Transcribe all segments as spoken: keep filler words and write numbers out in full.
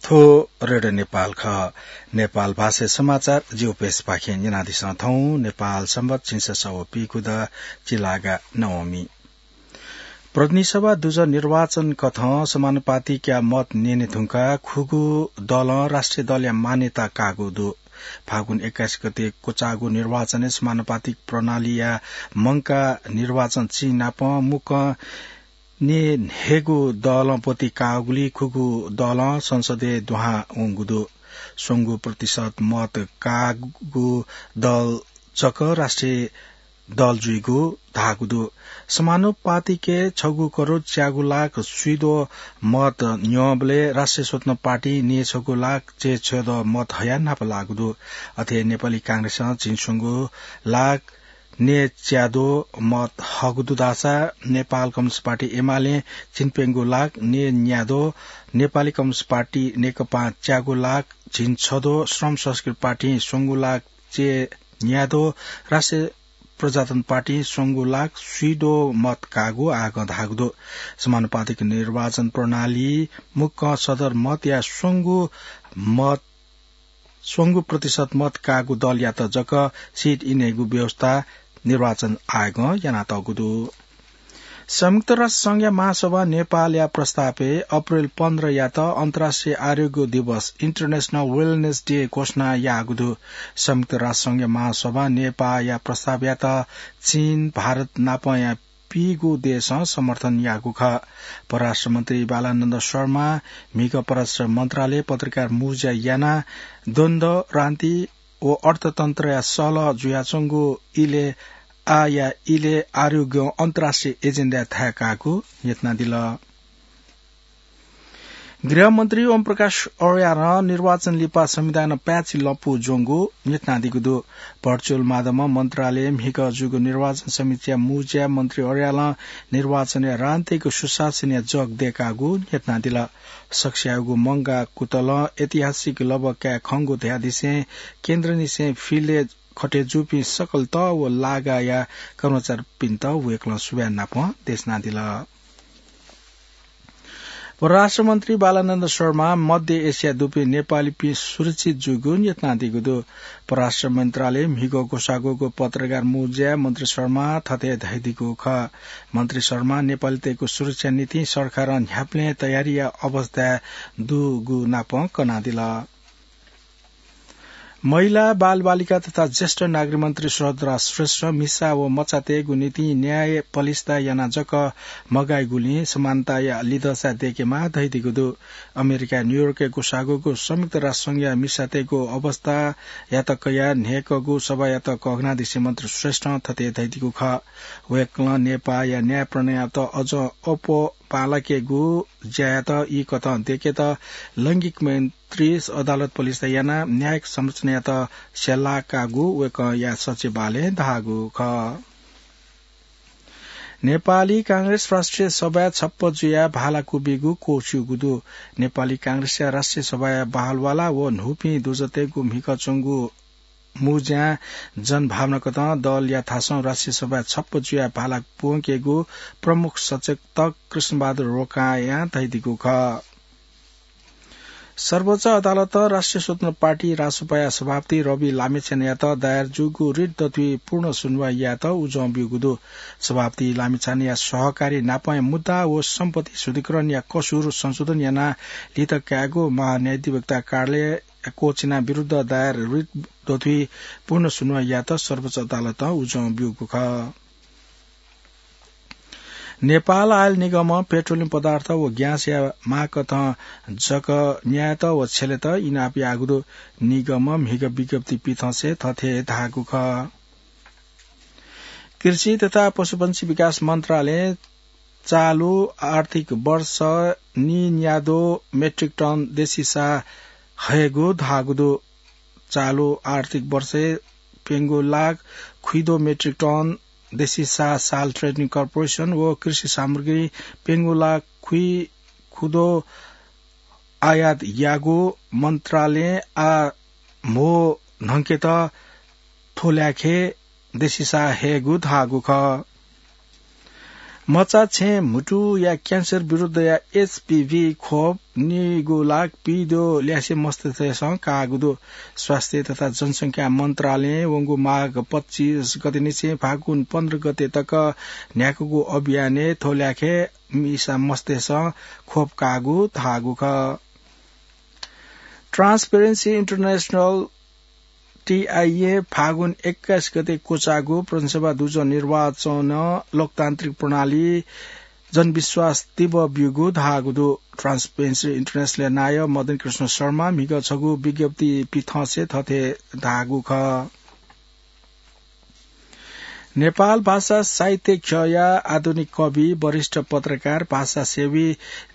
थ्व रेडियो नेपाल खः। नेपाल भाषाय् समाचार जिगु पेजपाखें न्यनादिसँ। थौं नेपाल संवत् झिंछसः व पीगू द चिलागा नवमी। प्रतिनिधि सभा दुजः निर्वाचन कथं समानुपातिकया मत न्यने धुंकाः खुगू दलं राष्ट्रिय दलया मान्यता काःगु दु। फागुन एक्काइस गते क्वचाःगु निर्वाचनय् समानुपातिक प्रणालीया मंकाः निर्वाचन चिं नाप मुक्कं न्यय् न्हय्‌गू दलं ब्वति काःगुलिं खुगू दलं संसदय् दुहां वंगु दु। स्वंगू प्रतिशत मत काःगु दल जक राष्ट्रिय दल जुइगु धाःगु दु। समानुपातिकय् छगू करोड च्यागू लाख स्वीद्वः मत न्यंबलय् राष्ट्रिय स्वतन्त्र पार्टी न्यय् छगू लाख च्याछ्वद्वः मत हयाः न्हापा लाःगु दु। अथे नेपाली कांग्रेसं झिंस्वंगू लाख न्यय् च्याद्वः मत हःगु दु धाःसा नेपाल कम्युनिस्ट पार्टी एमालें झिंप्यंगू लाख न्यय् न्याद्वः, नेपाली कम्युनिस्ट पार्टी नेकपां च्यागू लाख झिंछद्वः, श्रम संस्कृति पार्टीं स्वंगू लाख च्यान्याद्वः, राष्ट्रिय प्रजातन्त्र पार्टीं स्वंगू लाख स्वीद्वः मत काःगु आगं धाःगु दु। समानुपातिक निर्वाचन प्रणाली मुक्कं सदर मतया स्वंगू मत, स्वंगू प्रतिशत मत काःगु दलयात जक सिट इनेगु व्यवस्था निर्वाचन आयोगं यानातःगु दु। संयुक्त राष्ट्र संघया महासभा नेपालया प्रस्तावय् अप्रेल पन्ध्रयात अन्तर्राष्ट्रिय आरोग्य दिवस, International Wellness Day, घोषणा याःगु दु। संयुक्त राष्ट्र संघया महासभा नेपालया प्रस्तावयात चीन, भारत नापंया पीगू देशं समर्थन याःगु खः। परराष्ट्र मन्त्री बालानन्द शर्मा म्हिगः परराष्ट्र मन्त्रालय पत्रकार मुँज्या यानाः द्वन्द्व, रान्ति व अर्थतन्त्रया सल्लाह जुयाच्वंगु इलय् आःया इलय् आरोग्यं अन्तर्राष्ट्रिय एजेन्डाय् थाय् काःगु न्ह्यथनादिल। गृहमन्त्री ओमप्रकाश अर्यालं निर्वाचन लिपा संविधानं पाय्छि लँपु ज्वंगु न्ह्यथनादीगु दु। Virtual माध्यमं मन्त्रालयय् म्हिगः जूगु निर्वाचन समितिया मुँज्याय् मन्त्री अर्यालं निर्वाचनया रान्तिक सुशासनया जग दय्कागु न्ह्यथनादिल। सकसियागु मंगा कुतलं ऐतिहासिक लँप काये खंगु धयादिसें केन्द्रनिसें field-य् खटे जूपिं सकल तः व लागाया कर्मचारीपिन्त वय्कलं सुभाय् नापं देछानादिल। परराष्ट्र मन्त्री बालानन्द शर्मा मध्य एसियाय् दुपिं नेपालीपिं सुरक्षित जूगु न्ह्यथनादीगु दु। परराष्ट्र मन्त्रालय म्हिगः ग्वसाः ग्वःगु पत्रकार मुँज्याय् मन्त्री शर्मा थथे धयादीगु खः। मन्त्री शर्मा नेपालीतय्गु सुरक्षा निंतिं सरकारं न्ह्याबलें तयारीया अवस्थाय् दुगु नापं कनादिल। महिला, बालबालिका तथा ज्येष्ठ नागरिक मन्त्री सुभद्रा श्रेष्ठं मिसा व मचातय्गु निंतिं न्याय पलिस्था यानाः जक मगाइगुलिं समानताया लिधंसा दय्केमाः धयादीगु दु। अमेरिका न्यूयोर्कय् ग्वसाः ग्वःगु संयुक्त राष्ट्र संघया मिसातय्गु अवस्थायात कयाः न्हय्कःगु सभायात कःघानादिसें मन्त्री श्रेष्ठं थथे धयादीगु खः। वय्कलं नेपाःया न्याय प्रणालीयात अझ अप्वः बांलाकेगु ज्यायात ई कथं दय्केत लैंगिक मैत्री अदालत पलिस्था यानाः न्यायिक संरचनायात स्यलाकागु वय्कःया सचिवालयं धाःगु खः। नेपाली कांग्रेस राष्ट्रिय सभाय् छप्पँ जुयाः भाला क्वब्यूगु क्वःछिउगु दु। नेपाली कांग्रेसया राष्ट्रिय सभाया बहालवाला व न्हूपिं दुजःतय्गु म्हिगः च्वंगु मुँज्यां जनभावना कथं दलया थासं राष्ट्रिय सभाय् छप्पँ जुयाः भाला प्वंकेगु प्रमुख सचेतक कृष्णबहादुर रोकायां धयादीगु खः। सर्वोच्च अदालतं राष्ट्रिय स्वतन्त्र पार्टी रासोपाया सभापति रवि लामिछानेयात दायर जूगु रिट दथुइ पूर्ण सुनुवाइ यायेत उजं ब्यूगु दु। सभापति लामिछानेया सहकारी नापंया मुद्दा व सम्पत्ति शुद्धिकरणया कसुर संशोधन यानाः लित कायेगु महान्यायाधिवक्ता कार्यालय क्वःछिना विरुद्ध दायर रिट दथुइ पूर्ण सुनुवाइ यायेत सर्वोच्च अदालतं उजं ब्यूगु खः। नेपाल आयल निगमं पेट्रोलियम पदार्थ व ग्याँसया माग कथं जक न्यायेत व छ्यलेत इनाप याःगु दु। निगमं म्हिगः विज्ञप्ति पिथंसे थथे धाःगु खः। कृषि तथा पशुपंक्षी विकास मन्त्रालयं चालु आर्थिक वर्ष नीन्याद्वः मेट्रिक टन देशी साः हयेगु धाःगु दु। चालु आर्थिक वर्षय् प्यंगू लाख खुइद्वः मेट्रिक टन देशी साः साल्ट ट्रेडिङ कर्पोरेसन व कृषि सामग्री प्यंगू लाख खुइ खुद्वः आयात याःगु मन्त्रालयं आः म्हो न्हंकेत थ्व ल्याखय् देशी साः हयेगु धाःगु खः। मचा छेँ म्हुतुया क्यान्सर विरुद्धया एचपीभी खोप निगू लाख पीद्यः ल्यासे मस्तय्‌सं काःगु दु। स्वास्थ्य तथा जनसंख्या मन्त्रालयं वंगु माघ पच्चिस गते निसें फागुन पन्ध्र गते तक न्ह्याकूगु अभियानय् थ्व ल्यासे मिसा मस्तय्‌सं खोप काःगु धाःगु खः। Transparency International, टीआईए, फागुन एक्काइस गते क्वचाःगु प्रदेशसभा दुजः निर्वाचनं लोकतान्त्रिक प्रणाली जनविश्वास तीव्र ब्यूगु धाःगु दु। Transparency International नायः मदन कृष्ण शर्मा म्हिगः छगू विज्ञप्ति पिथंसे थथे धाःगु खः। नेपाल भाषा साहित्य ख्यःया आधुनिक कवि, वरिष्ठ पत्रकार, भाषासेवी,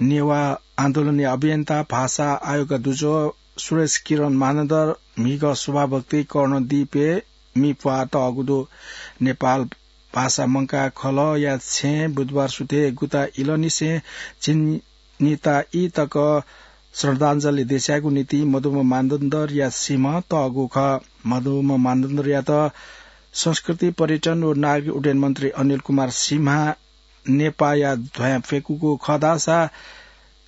नेवाः आन्दोलनया अभियन्ता, भाषा आयोगया दुजः सुरेश किरण मानन्धर म्हिगः शोभाभक्ति कर्णदीपय् मि प्वाः तःगु दु। नेपाल भाषा मंकाः खलःया छेँय् बुधबार सुथय् गुता इलंनिसें झिंनिता ई तक श्रद्धाञ्जली देछायेगु निंतिं मदुम्ह मानन्धरया सिमा तःगु खः। मदुम्ह मानन्धरयात संस्कृति, पर्यटन व नागरिक उड्डयन मन्त्री अनिल कुमार सिंहं नेपाःया ध्वाँय् फ्यकूगु खः धाःसा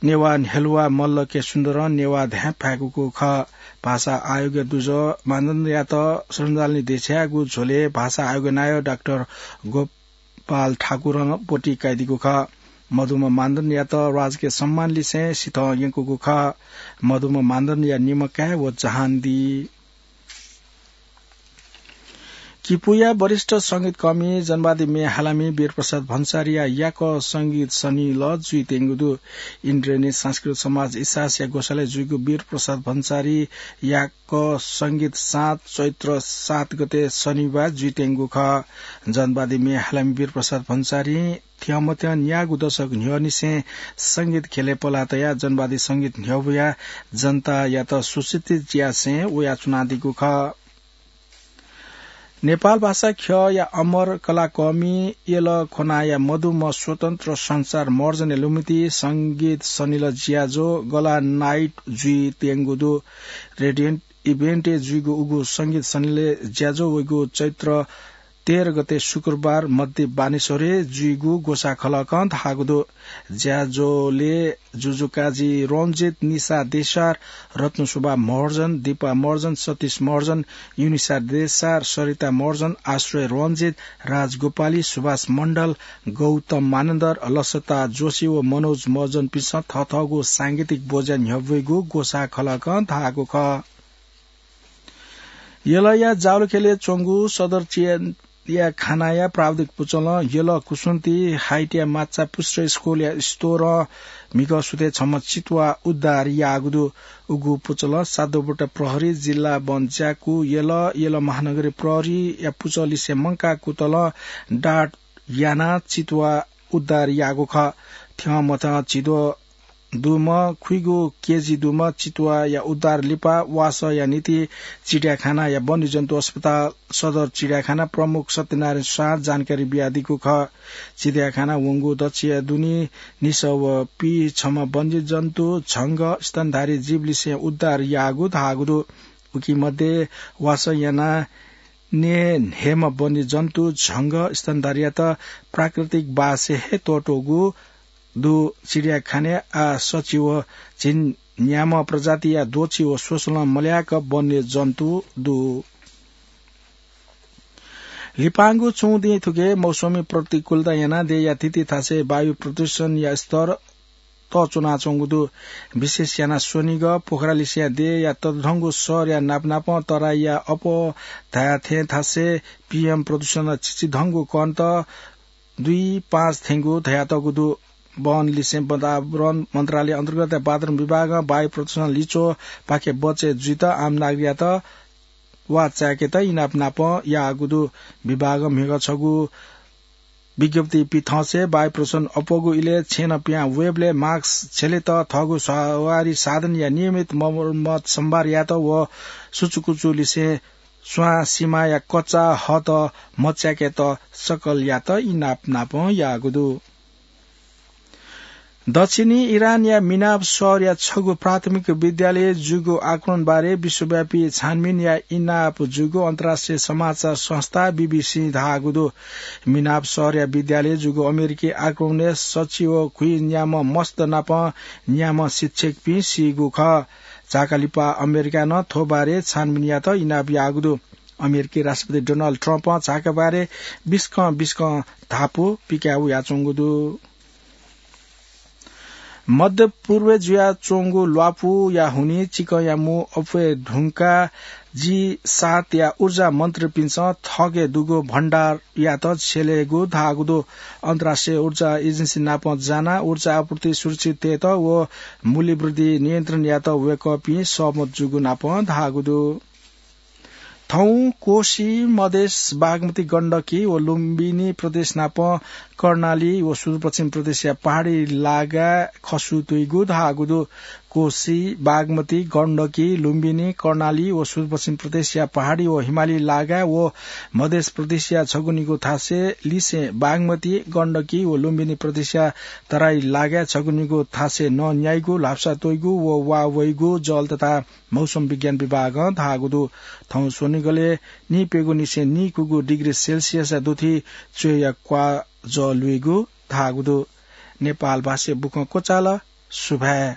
नेवाः न्ह्यलुवा मल्ल के सुन्दरं नेवाः ध्वाँय् फ्यकूगु खः। भाषा आयोगया दुजः मानन्धरयात श्रद्धाञ्जली देछायेगु झ्वलय् भाषा आयोगया नायः डाक्टर गोपाल ठाकुरं ब्वति कयादीगु खः। मदुम्ह मानन्धरयात राजकीय सम्मान लिसें सिथं यंकूगु खः। मदुम्ह मानन्धरया निम्ह काय् व जहान दी। किपूया वरिष्ठ संगीतकर्मी जनवादी म्ये हालामि वीरप्रसाद भन्सारीया याकः संगीत सनिलः जुइत्यंगु दु। इन्द्रेणी सांस्कृतिक समाज इसासया ग्वसालय् जुइगु वीरप्रसाद भन्सारी याकः संगीत साँझ चैत्र सात गते सनिबार जुइत्यंगु खः। जनवादी म्ये हालामि वीरप्रसाद भन्सारीं थ्यंमथ्यं न्यागू दशक न्ह्यःनिसें संगीत ख्यलय् पलाः तयाः जनवादी संगीत न्ह्यब्वयाः जनतायात सुशिक्षित यासें वयाच्वनादीगु खः। नेपाल भाषा ख्यःया अमर कलाकर्मी यल खोनाया मदुम्ह स्वतन्त्र संसार महर्जनया लुमति संगीत सनिलः ज्याझ्वः गला नाइट जुइत्यंगु दु। रेडियन्ट इभेन्टय् जुइगु उगु संगीत सनिलः ज्याझ्वः वइगु चैत्र तेह्र गते शुक्रबार मध्य बानेश्वरय् जुइगु ग्वसाः खलकं धाःगु दु। ज्याझ्वलय् जुजुकाजी रञ्जित, निशा देशार, रत्नशोभा महर्जन, दीपा महर्जन, सतीश महर्जन, युनिशा देशार, सरिता महर्जन, आश्रय रञ्जित, राजगोपाली, सुभाष मण्डल, गौतम मानन्धर, लसता जोशी व मनोज महर्जनपिन्सं थःथःगु सांगीतिक ब्वज्या न्ह्यब्वइगु ग्वसाः खलकं धाःगु खः। यलया जावलाखेलय् च्वंगु सदर चियाखानाया प्राविधिक पुचलं यल कुसुन्ती हाइटया माछापुच्छ्रे स्कूलया स्टोरं म्हिगः सुथय् छम्ह चितुवा उद्धार याःगु दु। उगु पुचलं सातोपट्टा प्रहरी, जिल्ला वन ज्याकू, यल, यल महानगरीय प्रहरीया पुचःलिसे मंकाः कुतलं डाँट यानाः चितुवा उद्धार याःगु खः। थ्यंमथ्यं झिद्वः दुम्ह, खुइगू केजी दुम्ह चितुवाया उद्धार लिपा वासःया निंतिं चिडियाखानाया वन्यजन्तु अस्पताल सदर चिडियाखाना प्रमुख सत्यनारायण शाहं जानकारी बियादीगु खः। चिडियाखाना वंगु दच्छिया दुने निसः व पीछम्ह वन्यजन्तु, झंगः, स्तनधारी जीवलिसें उद्धार याःगु धाःगु दु। उकी मध्ये वासः यानाः नये न्हय्म्ह वन्यजन्तु, झंगः, स्तनधारीयात प्राकृतिक बासय् हे त्वःतूगु दु। चिडियाखानाय् आः सच्छि व झिंन्याम्ह प्रजातिया द्वःछि व स्वसलं मल्याक वन्यजन्तु दु। लिपांगु छुं दिं थुके मौसमी प्रतिकूलता यानाः देय्‌या थीथी थासय् वायु प्रदूषणया स्तर तःच्वनाच्वंगु दु। विशेष यानाः स्वनिगः, पोखरालिसेंया देय्‌या ततःधंगु शहरया नापनापं तराईया अप्वः धाये थें थासय् पीएम प्रदूषणया चिचिधंगु कणत दुई पाँच थेंगु धयातःगु दु। वनलिसें वातावरण मन्त्रालय अन्तर्गत वातावरण विभागं वायु प्रदूषण लिच्वःपाखें बचय् जुइत आम नागरिकयात वा चाय्‌केत इनाप नापं याःगु दु। विभागं म्हिगः छगू विज्ञप्ति पिथंसे वायु प्रदूषण अप्वःगु इलय् छेँनं पिहां वयेबलय् मास्क छ्यलेत, थःगु सवारी साधनया नियमित मर्मत सम्भार यायेत व सुचुकुचुलिसें स्वां सिमाया कच्चा हःत मच्याकेत सकलयात इनाप नापं याःगु दु। दक्षिणी इरानया मिनाब शहरया छगू प्राथमिक विद्यालय जूगु आक्रमणबारे विश्वव्यापी छानबिनया इनाप जूगु अन्तर्राष्ट्रिय समाचार संस्था बीबीसी धाःगु दु। मिनाब शहरया विद्यालय जूगु अमेरिकी आक्रमणय् सच्छि व खुइ न्याम्ह मस्त नाप न्याम्ह शिक्षकपिं सीगु खः। झाकालिपा अमेरिकां नं थ्व बारे छानबिन यात इनाप याःगु दु। अमेरिकी राष्ट्रपति डोनाल्ड ट्रम्पं झाकाबारे बिस्कं बिस्कं धापू पिकाय् वयाच्वंगु दु। मध्यपूर्वय् जुयाच्वंगु ल्वापुया हुनिं चिकंया मू अप्वये धुंकाः जी सातया ऊर्जा मन्त्रीपिन्सं थःके दुगु भण्डारयात छ्यलेगु धाःगु दु। अन्तर्राष्ट्रिय ऊर्जा एजेन्सी नाप जानाः ऊर्जा आपूर्ति सुरक्षित तयेत व मूल्यवृद्धि नियन्त्रण यायेत वय्कःपिं सहमत जूगु नाप धाःगु दु। थौं कोशी, मधेस, बागमती, गण्डकी व लुम्बिनी प्रदेश नाप कर्णाली व सुदूरपश्चिम प्रदेशया पहाडी लागाय् खसु तुइगु धाःगु दु। कोशी, बागमती, गण्डकी, लुम्बिनी, कर्णाली व सुदूरपश्चिम प्रदेशया पहाडी व हिमाली लागाय् व मधेस प्रदेशया छगू निगू थासय् लिसें बागमती, गण्डकी व लुम्बिनी प्रदेशया तराई लागाय् छगू निगू थासय् नं न्याइगु, ल्हापसा त्वइगु व वा वइगु जल तथा मौसम विज्ञान विभागं धाःगु दु। थौं स्वनिगलय् नीप्यघौ निसें नीकुगु डिग्री सेल्सियसया दुथि च्वय्या क्वाः जः लुइगु धाःगु दु। नेपाल भाषाय् बुखँ क्वचाल। सुभाय्।